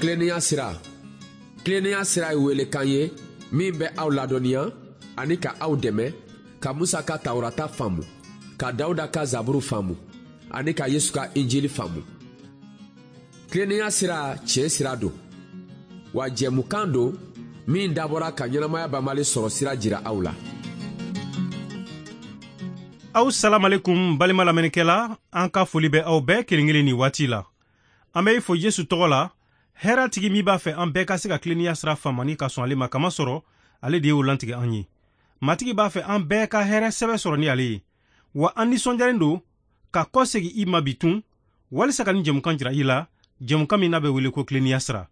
Tilennenya sira. Tilennenya sira ye welekan ye min bɛ aw ladɔnniya ani ka aw dɛmɛ ka Musa ka Tawurata faamu, ka Dawuda ka Zaburu faamu ani ka Yesu ka Injili faamu. Tilennenya sira tiɲɛ sira don, wa jɛmukan don min dabɔra ka ɲɛnamaya banbali sɔrɔ sira jira aw la. Aw salamalekum balima lamɛnnikɛla, an ka foli bɛ aw bɛɛ kelen kelen nin waati la. An bɛ i fo Yesu tɔgɔ la, hɛrɛ tigi min b'a fɛ an bɛɛ ka se ka tilennenya sira faamu ani ka sɔn ale ma, kamasɔrɔ ale de y'o lantigɛ an ye. Matigi b'a fɛ an bɛɛ ka hɛrɛ sɛbɛ sɔrɔ ni ale ye. Wa an nisɔndiyalen don ka kɔsegin i ma bi tun, walisa ka nin jɛmukan jira i la, jɛmukan min n'a bɛ wele ko tilennenya sira.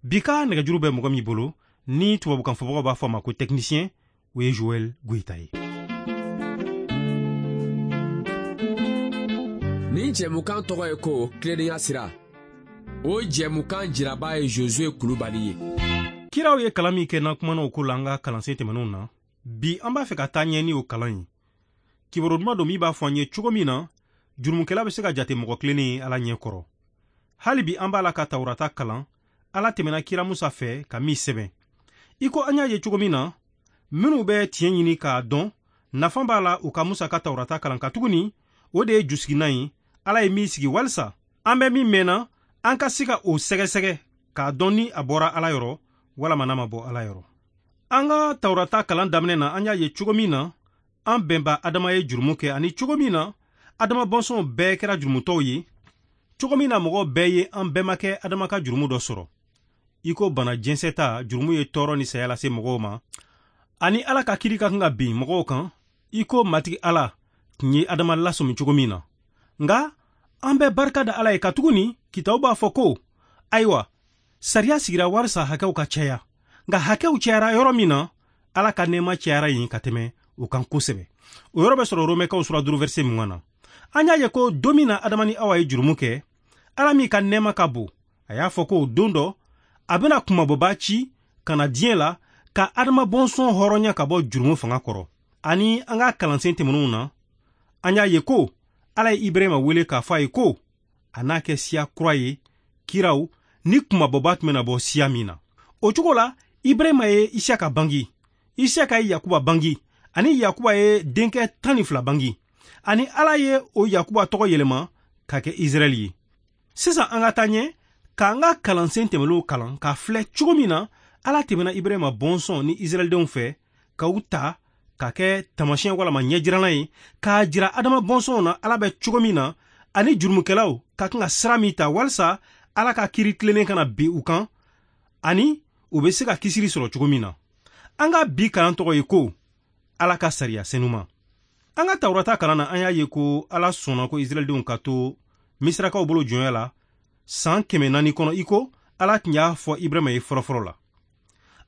Bi ka nɛgɛjuru bɛ mɔgɔ min bolo, ni tubabukan fɔbagaw b'a fɔ a ma ko technicien, o ye Joël Goïta ye. Nin jɛmukan tɔgɔ ye ko tilennenya sira. O jɛmukan jiraba ye Josué Kulubali ye. Kiraw ye kalan min kɛ n'an kumana o ko la an ka kalansen tɛmɛnenw na, bi an b'a fɛ ka taa ɲɛ ni o kalan ye. Kibaru duman don min b'a fɔ an ye cogo min na jurumukɛla bɛ se ka jate mɔgɔ tilennen ye Ala ɲɛ kɔrɔ. Hali bi an b'a la ka Tawurata kalan, Ala tɛmɛna kira Musa fɛ ka min sɛbɛn. I ko an y'a ye cogo min na, minnu bɛ tiɲɛ ɲini k'a dɔn, nafa b'a la u ka Musa ka Tawurata kalan, katuguni o de ye jusiginan ye Ala ye min sigi walisa an bɛ min mɛnna, an ka se ka o sɛgɛsɛgɛ k'a dɔn ni a bɔra Ala yɔrɔ walama n'a ma bɔ Ala yɔrɔ. An ka Tawurata kalan daminɛ na, an y'a ye cogo min na an bɛnba Adama ye jurumu kɛ, ani cogo min na Adama bɔnsɔnw bɛɛ kɛra jurumutɔw ye, cogo min na mɔgɔ bɛɛ ye an bɛnbakɛ Adama ka jurumu dɔ sɔrɔ. I ko bana jɛnsɛta, jurumu ye tɔɔrɔ ni saya lase mɔgɔw ma, ani Ala ka kiri ka kan ka bin mɔgɔw kan, i ko Matigi Ala tun ye Adama lasɔmi cogo min na. Nka an bɛ barika da Ala ye, katuguni kitabu b'a fɔ ko ayiwa sariya sigira walisa hakɛw ka caya, nka hakɛw cayara yɔrɔ min na, Ala ka nɛɛma cayara yen ka tɛmɛ o kan kosɛbɛ. O yɔrɔ bɛ sɔrɔ Romɛkaw sura 5 verset 20 na. An y'a ye ko don min na Adama ni Awa ye jurumu kɛ, Ala min ka nɛɛma ka bon, a y'a fɔ ko don dɔ a bɛna kunmabɔba ci ka na diɲɛ la ka Adama bɔnsɔn hɔrɔnya ka bɔ jurumu fanga kɔrɔ. Ani an ka kalansen tɛmɛnenw na, an y'a ye ko Ala ye Ibrahima wele k'a fɔ a ye ko a n'a kɛ siya kura ye, kiraw ni kunmabɔba tun bɛna bɔ siya min na. O cogo la, Ibrahima ye Isaka bangi, Isaka ye Yakuba bangi, ani Yakuba ye denkɛ 12 bangi, ani Ala ye o Yakuba tɔgɔ yɛlɛma ka kɛ Israɛl ye. Sisan an ka taa ɲɛ k'an ka kalansen tɛmɛnenw kalan k'a filɛ cogo min na Ala tɛmɛna Ibrahima bɔnsɔn ni Israɛldenw fɛ k'u ta ka kɛ taamasiyɛn walama ɲɛjiranna ye, k'a jira Adama bɔnsɔnw na Ala bɛ cogo min na, ani jurumukɛlaw ka kan ka sira min ta walisa Ala ka kiri tilennen kana bin u kan, ani u bɛ se ka kisili sɔrɔ cogo min na. An ka bi kalan tɔgɔ ye ko Ala ka sariya senuma. An ka Tawurata kalan na, an y'a ye ko Ala sɔnna ko Israɛldenw ka to Misirakaw bolo jɔnya la san 400 kɔnɔ, i ko Ala tun y'a fɔ Ibrahima ye fɔlɔfɔlɔ la.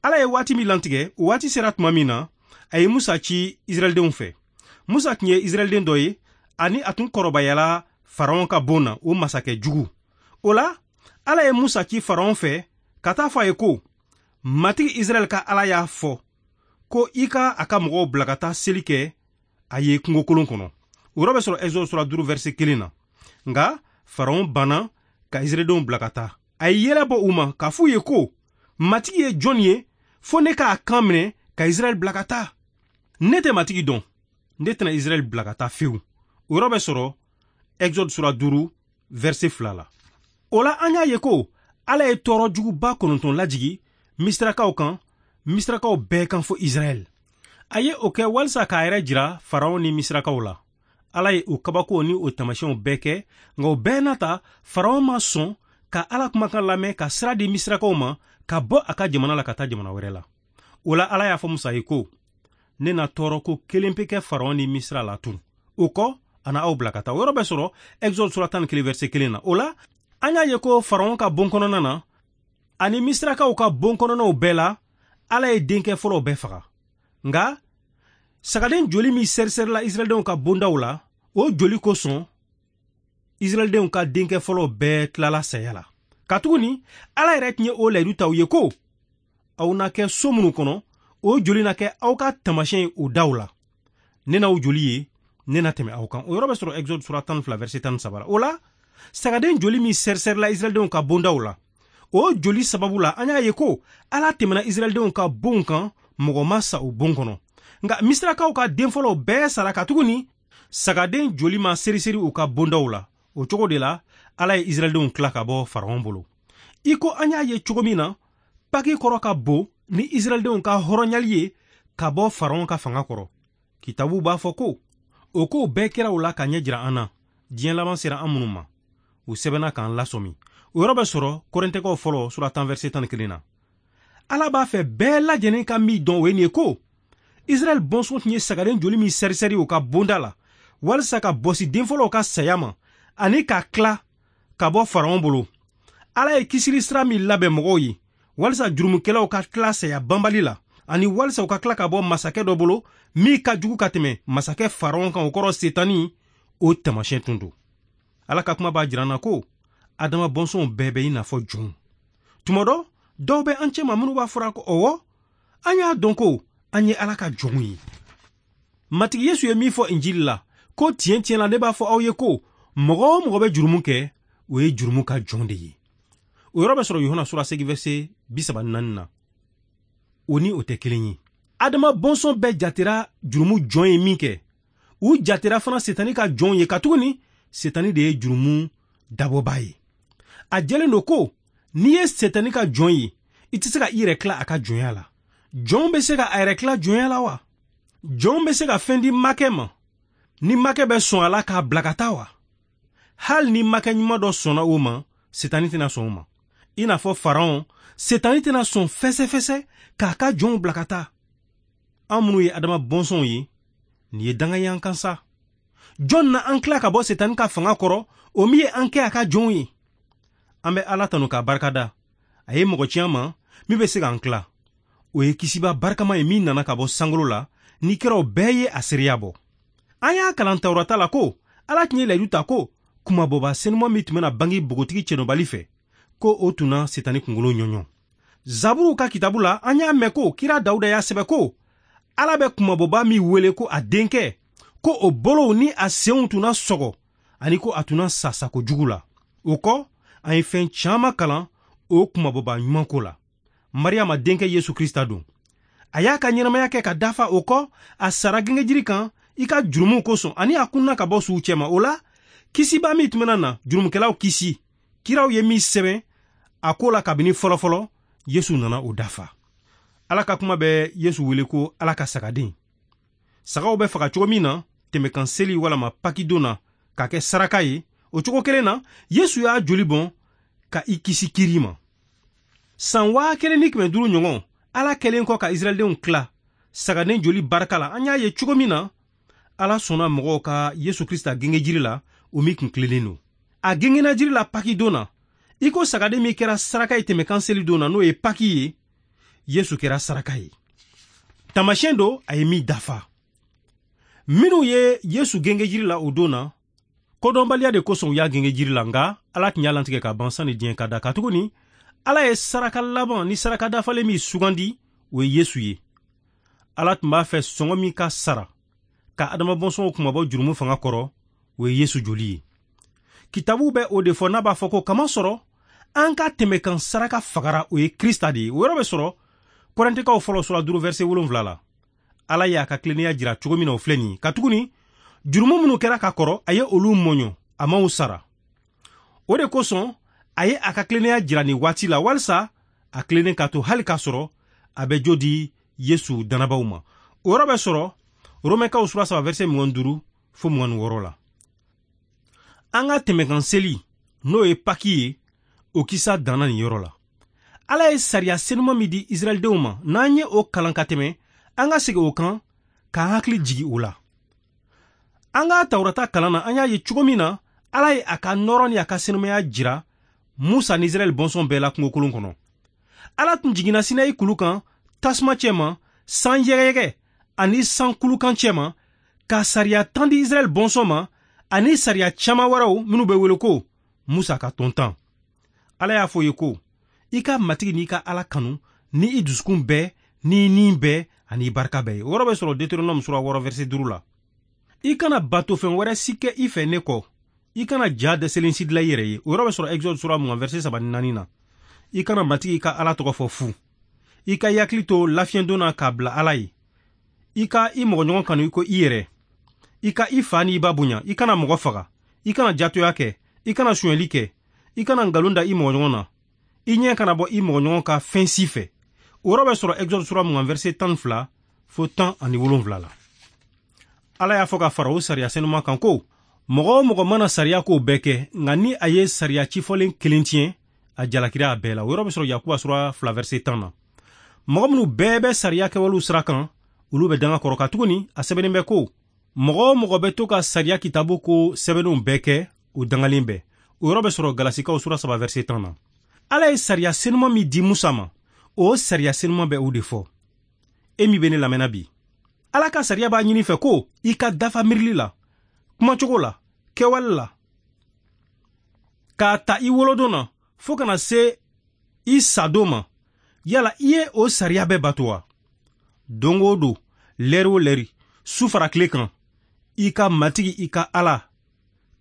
Ala ye waati min lantigɛ, o waati sera tuma min na, a ye Musa ci Israɛldenw fɛ. Musa tun ye Israɛlden dɔ ye, ani a tun kɔrɔbayala Faraon ka bon na, o masakɛ jugu. O la, Ala ye Musa ci Faraon fɛ ka taa fɔ a ye ko Matigi Israɛl ka Ala y'a fɔ ko i ka a ka mɔgɔw bila ka taa seli kɛ a ye kungokolon kɔnɔ. O yɔrɔ bɛ sɔrɔ Exode sura 5 verset 1 na. Nka Faraon banna ka Israɛldenw bila ka taa. A ye yɛlɛ bɔ u ma k'a f'u ye ko Matigi ye jɔn ye fo ne k'a kan minɛ ka Israɛl bila ka taa. Ne tɛ Matigi dɔn, ne tɛna Israɛl bila ka taa fewu. O yɔrɔ bɛ sɔrɔ Exode sura 5 verset 2 la. O la, an y'a ye ko Ala ye tɔɔrɔ juguba 9 lajigi Misirakaw kan, Misirakaw bɛɛ kan fo Israɛl. A ye o kɛ walisa k'a yɛrɛ jira Faraon ni Misirakaw la. Ala ye o kabakow ni o taamasiyɛnw bɛɛ kɛ, nka o bɛɛ n'a ta, Faraon ma sɔn ka Ala kumakan lamɛn ka sira di Misirakaw ma ka bɔ a ka jamana la ka taa jamana wɛrɛ la. O la, Ala y'a fɔ Musa ye ko ne na tɔɔrɔ ko kelen pe kɛ Faraon ni Misira la tun. O kɔ, a na aw bila ka taa. O yɔrɔ bɛ sɔrɔ Exode sura 11 verset 1 na. O la, an y'a ye ko Faraon ka bon kɔnɔna na ani Misirakaw ka bon kɔnɔnaw bɛɛ la, Ala ye denkɛ fɔlɔw bɛɛ faga. Nka sagaden joli min sɛrisɛrila Israɛldenw ka bondaw la, o joli kosɔn Israɛldenw ka denkɛ fɔlɔw bɛɛ tilala saya la. Katuguni Ala yɛrɛ tun ye o layidu ta u ye ko aw na kɛ so minnu kɔnɔ, o joli na kɛ aw ka taamasiyɛn ye o daw la. Ne n'aw joli ye, ne na tɛmɛ aw kan. O yɔrɔ bɛ sɔrɔ Exode sura 12 verset 13 la. O la, sagaden joli min sɛrisɛrila Israɛldenw ka bondaw la, O joli sababu la, an y'a ye ko Ala tɛmɛna Israɛldenw ka bonw kan, mɔgɔ ma sa o bon kɔnɔ. Nka Misirakaw ka den fɔlɔw bɛɛ sara katuguni sagaden joli ma seriseri u ka bondaw la. O cogo de la, Ala ye Israɛldenw tila ka bɔ Faraon bolo. I ko an y'a ye cogo min na, Paki kɔrɔ ka bon ni Israɛldenw ka hɔrɔnyali ye ka bɔ Faraon ka fanga kɔrɔ. Kitabu b'a fɔ ko o kow bɛɛ kɛra u la ka ɲɛ jira an na, diɲɛ laban sera an minnu ma. U sɛbɛnna k'an lasɔmi. O yɔrɔ bɛ sɔrɔ Kɔrɛntɛkaw fɔlɔ sura 10 verset 11 na. Ala b'a fɛ bɛɛ lajɛlen ka min dɔn, o ye nin ye ko Israɛl bɔnsɔn tun ye sagaden joli min sɛrisɛri u ka bonda la walisa ka bɔsi den fɔlɔw ka saya ma ani ka tila ka bɔ Faraon bolo. Ala ye kisili sira min labɛn mɔgɔw ye walisa jurumukɛlaw ka tila saya banbali la ani walisa u ka tila ka bɔ masakɛ dɔ bolo min ka jugu ka tɛmɛ masakɛ Faraon kan, o kɔrɔ Setani, o taamasiyɛn tun don. Ala ka kuma b'a jira an na ko Adama bɔnsɔnw bɛɛ bɛ i n'a fɔ jɔnw. Tuma dɔ, dɔw bɛ an cɛma minnu b'a fɔra ko ɔwɔ, an y'a dɔn ko an ye Ala ka jɔnw ye. Matigi Yesu ye min fɔ Injili la, ko tiɲɛ tiɲɛ la ne b'a fɔ aw ye ko mɔgɔ o mɔgɔ bɛ jurumu kɛ, o ye jurumu ka jɔn de ye. O yɔrɔ bɛ sɔrɔ Yohana sura 8 verset 34 na. O ni o tɛ kelen ye. Adama bɔnsɔn bɛɛ jatera jurumu jɔn ye min kɛ, u jatera fana Setani ka jɔnw ye, katuguni Setani de ye jurumu dabɔba ye. A jɛlen don ko n'i ye Setani ka jɔn ye, i tɛ se ka i yɛrɛ tila a ka jɔnya la. Jɔn bɛ se ka a yɛrɛ tila jɔnya la wa? Jɔn bɛ se ka fɛn di makɛ ma ni makɛ bɛ sɔn a la k'a bila ka taa wa? Hali ni makɛ ɲuman dɔ sɔnna o ma, Setani tɛna sɔn o ma. I n'a fɔ Faraon, Setani tɛna sɔn fɛsɛfɛsɛ k'a ka jɔnw bila ka taa. An minnu ye Adama bɔnsɔnw ye, nin ye danga ye an kan sa. Jɔn na an tila ka bɔ Setani ka fanga kɔrɔ, o min ye an kɛ a ka jɔnw ye? An bɛ Ala tanu k'a barikada. A ye mɔgɔ ci an ma min bɛ se k'an tila. O ye kisiba barikama ye min nana ka bɔ sankolo la, ni kiraw bɛɛ ye a seereya bɔ. An y'a kalan Tawurata la ko Ala tun ye layidu ta ko kumabɔba senuman min tun bɛna bange npogotigi cɛnɔbali fɛ, ko o tun na Setani kunkolo ɲɔɲɔ. Zaburuw ka kitabu la, an y'a mɛn ko kira Dawuda y'a sɛbɛn ko Ala bɛ kumabɔba min wele ko a denkɛ, ko o bolow ni a senw tun na sɔgɔ ani ko a tun na sa sako jugu la. O kɔ, an ye fɛn caman kalan o kumabɔba ɲuman ko la. Mariyama denkɛ Yesu Krista don. A y'a ka ɲɛnamaya kɛ ka dafa, o kɔ a sara gengejiri kan i ka jurumuw kosɔn ani a kunna ka bɔ suw cɛma. O la, kisiba min tun bɛna na jurumukɛlaw kisi, kiraw ye min sɛbɛn a ko la kabini fɔlɔfɔlɔ, Yesu nana o dafa. Ala ka kuma bɛ Yesu wele ko Ala ka sagaden. Sagaw bɛ faga cogo min na tɛmɛkan seli walama pakidon na k'a kɛ saraka ye, o cogo kelen na Yesu y'a joli bɔn ka i kisi kiri ma. San 1500 ɲɔgɔn, Ala kɛlen kɔ ka Israɛldenw tila sagaden joli barika la, an y'a ye cogo min na Ala sɔnna mɔgɔw ka Yesu Krista genge jiri la, o min kun tilennen don. A gengena jiri la pakidon na, i ko sagaden min kɛra saraka ye tɛmɛkan seli don na, n'o ye paki ye, Yesu kɛra saraka ye. Taamasiyɛn don a ye min dafa. Minnu ye Yesu genge jiri la o don na, kodɔnbaliya de kosɔn u y'a genge jiri la, nka Ala tun y'a lantigɛ ka ban sanni diɲɛ ka da, katuguni Ala ye saraka laban ni saraka dafalen min sugandi, o ye Yesu ye. Ala tun b'a fɛ sɔngɔ min ka sara ka Adama bɔnsɔnw kunmabɔ jurumu fanga kɔrɔ, o ye Yesu joli ye. Kitabu bɛ o de fɔ n'a b'a fɔ ko kamasɔrɔ an ka tɛmɛkan saraka fagara, o ye Krista de ye. O yɔrɔ bɛ sɔrɔ Kɔrɛntɛkaw fɔlɔ sura 5 verset 7 la. Ala y'a ka tilennenya jira cogo min na, o filɛ nin ye, katuguni jurumu minnu kɛra ka kɔrɔ, a ye olu mɔɲɔ, a m'aw sara. O de kosɔn a ye a ka tilennenya jira nin waati la, walisa a tilennen ka to hali k'a sɔrɔ a bɛ jo di Yesu dannabaw ma. O yɔrɔ bɛ sɔrɔ Romɛkaw sura 3 verset 25 fo 26 la. An ka tɛmɛkan seli, n'o ye Paki ye, o kisa danna nin yɔrɔ la. Ala ye sariya senuman min di Israɛldenw ma, n'an ye o kalan ka tɛmɛ, an ka segin o kan k'an hakili jigi o la. An ka Tawurata kalan na, an y'a ye cogo min na Ala ye a ka nɔɔrɔ ni a ka senumaya jira Musa ni Israɛl bɔnsɔn bɛɛ la kungokolon kɔnɔ. Ala tun jiginna Sinayi kulu kan tasuma cɛma, san yɛgɛyɛgɛ ani san kulukan cɛma, ka sariya 10 di Israɛl bɔnsɔn ma ani sariya caman wɛrɛw minnu bɛ wele ko Musa ka tɔn 10. Ala y'a fɔ ye ko i ka Matigi n'i ka Ala kanu ni i dusukun bɛɛ, ni i ni bɛɛ ani i barika bɛɛ ye. O yɔrɔ bɛ sɔrɔ Deutéronome sura 6 verset 5 la. I kana batofɛn wɛrɛ si kɛ i fɛ ne kɔ. I kana ja dɛsɛlen si dilan i yɛrɛ ye. O yɔrɔ bɛ sɔrɔ Exode sura 20 verset 34 na. I kana Matigi ka Ala tɔgɔ fɔ fu. I ka i hakili to lafiɲɛdon na k'a bila Ala ye. I ka i mɔgɔɲɔgɔn kanu i ko i yɛrɛ. I ka i fa ni i ba bonya. I kana mɔgɔ faga. I kana jatoya kɛ. I kana sonyɛli kɛ. I kana nkalon da i mɔgɔɲɔgɔn na. I ɲɛ kana bɔ i mɔgɔɲɔgɔn ka fɛn si fɛ. O yɔrɔ bɛ sɔrɔ Exode sura 20 verset 12 fo 17 la. Ala y'a fɔ ka fara o sariya senuma kan ko mɔgɔ o mɔgɔ mana sariya kow bɛɛ kɛ, nka ni a ye sariya cifɔlen kelen tiɲɛ, a jalakira a bɛɛ la. O yɔrɔ bɛ sɔrɔ Yakuba sura 2 verset 10 na. Mɔgɔ minnu bɛɛ bɛ sariya kɛwalew sira kan, olu bɛ danga kɔrɔ, katuguni a sɛbɛnnen bɛ ko mɔgɔ o mɔgɔ bɛ to ka sariya kitabu ko sɛbɛnnenw bɛɛ kɛ, o dangalen bɛ. O yɔrɔ bɛ sɔrɔ Galasikaw sura 3 verset 10 na. Ala ye sariya senuma min di Musa ma, o sariya senuma bɛ o de fɔ. E min bɛ ne lamɛnna bi, Ala ka sariya b'a ɲini fɛ ko i ka dafa miirili la, kumacogo la, kɛwale la, k'a ta i wolodon na fo kana se i sadon ma. Yala i ye o sariya bɛɛ bato wa? Don o don, lɛri o lɛri, su fara tile kan, i ka Matigi i ka Ala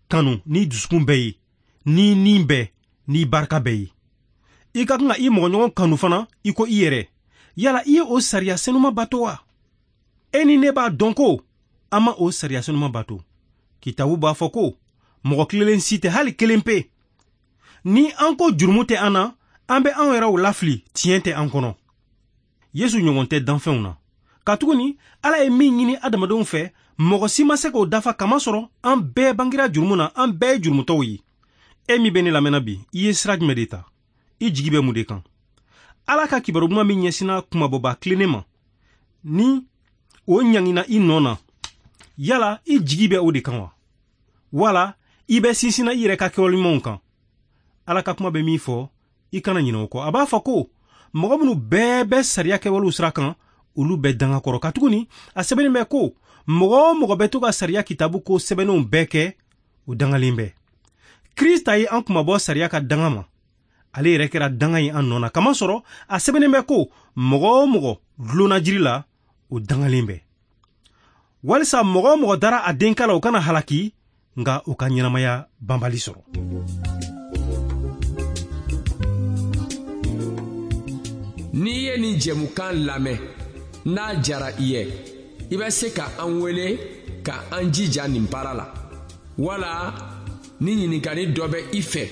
kanu n'i dusukun bɛɛ ye, n'i ni bɛɛ, n'i barika bɛɛ ye. I ka kan ka i mɔgɔɲɔgɔn kanu fana i ko i yɛrɛ. Yala i ye o sariya senuma bato wa? E ni ne b'a dɔn ko an ma o sariya senuma bato. Kitabu b'a fɔ ko mɔgɔ tilenlen si tɛ, hali kelen pe. Ni an ko jurumu tɛ an na, an bɛ an yɛrɛw lafili, tiɲɛ tɛ an kɔnɔ. Yesu ɲɔgɔn tɛ danfɛnw na. Katuguni Ala ye min ɲini adamadenw fɛ, mɔgɔ si ma se k'o dafa, kamasɔrɔ an bɛɛ bangera jurumu na, an bɛɛ ye jurumutɔw ye. E min bɛ ne lamɛnna bi, i ye sira jumɛn de ta? I jigi bɛ mun de kan? Ala ka kibaru duman min ɲɛsinna kumabɔba tilennen ma, ni o ɲangina i nɔ na, yala i jigi bɛ o de kan wa? Wala i bɛ sinsinna i yɛrɛ ka kɛwale ɲumanw kan? Ala ka kuma bɛ min fɔ, i kana ɲinɛ o kɔ. A b'a fɔ ko mɔgɔ minnu bɛɛ bɛ sariya kɛwalew sira kan, olu bɛ danga kɔrɔ, katuguni a sɛbɛnnen bɛ ko mɔgɔ o mɔgɔ bɛ to ka sariya kitabu ko sɛbɛnnenw bɛɛ kɛ, o dangalen bɛ. Krista ye an kunmabɔ sariya ka danga ma. Ale yɛrɛ kɛra danga ye an nɔ na, kamasɔrɔ a sɛbɛnnen bɛ ko mɔgɔ o mɔgɔ dulonna jiri la, o dangalen bɛ. Walisa mɔgɔ o mɔgɔ dara a denkɛ la, o kana halaki, nka o ka ɲɛnamaya banbali sɔrɔ. N'i ye nin jɛmukan lamɛn, n'a jara i ye, i bɛ se ka an wele ka an jija nin baara la. Wala ni ɲininkali dɔ bɛ i fɛ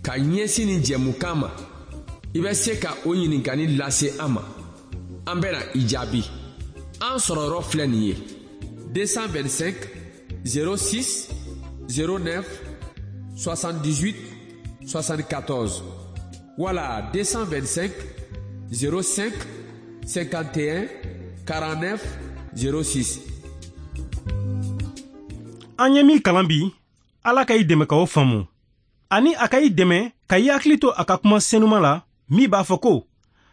ka ɲɛsin nin jɛmukan ma, i bɛ se ka o ɲininkali lase an ma. An bɛna i jaabi. An sɔrɔyɔrɔ filɛ nin ye: 225 06 09 78 74 wala 225 05 51 49 06. An ye min kalan bi, Ala ka i dɛmɛ ka o faamu, ani a ka i dɛmɛ ka i hakili to a ka kuma senuma la min b'a fɔ ko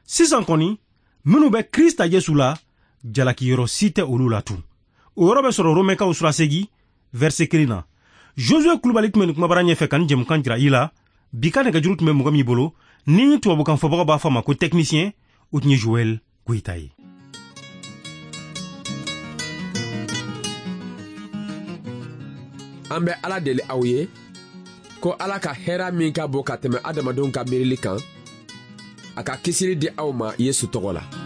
sisan kɔni minnu bɛ Krista Yesu la, jalakiyɔrɔ si tɛ olu la tun. O yɔrɔ bɛ sɔrɔ Romɛkaw sura 8 verset 1 na. Josue Kulubali tun bɛ nin kumabara ɲɛfɛ ka nin jɛmukan jira i la. Bi ka nɛgɛjuru tun bɛ mɔgɔ min bolo, ni tubabukan fɔbagaw b'a fɔ a ma ko technicien, o tun ye Joël Goyita ye. An bɛ Ala deli aw ye ko Ala ka hɛra min ka bon ka tɛmɛ adamadenw ka miirili kan, a ka kisili di aw ma Yesu tɔgɔ la.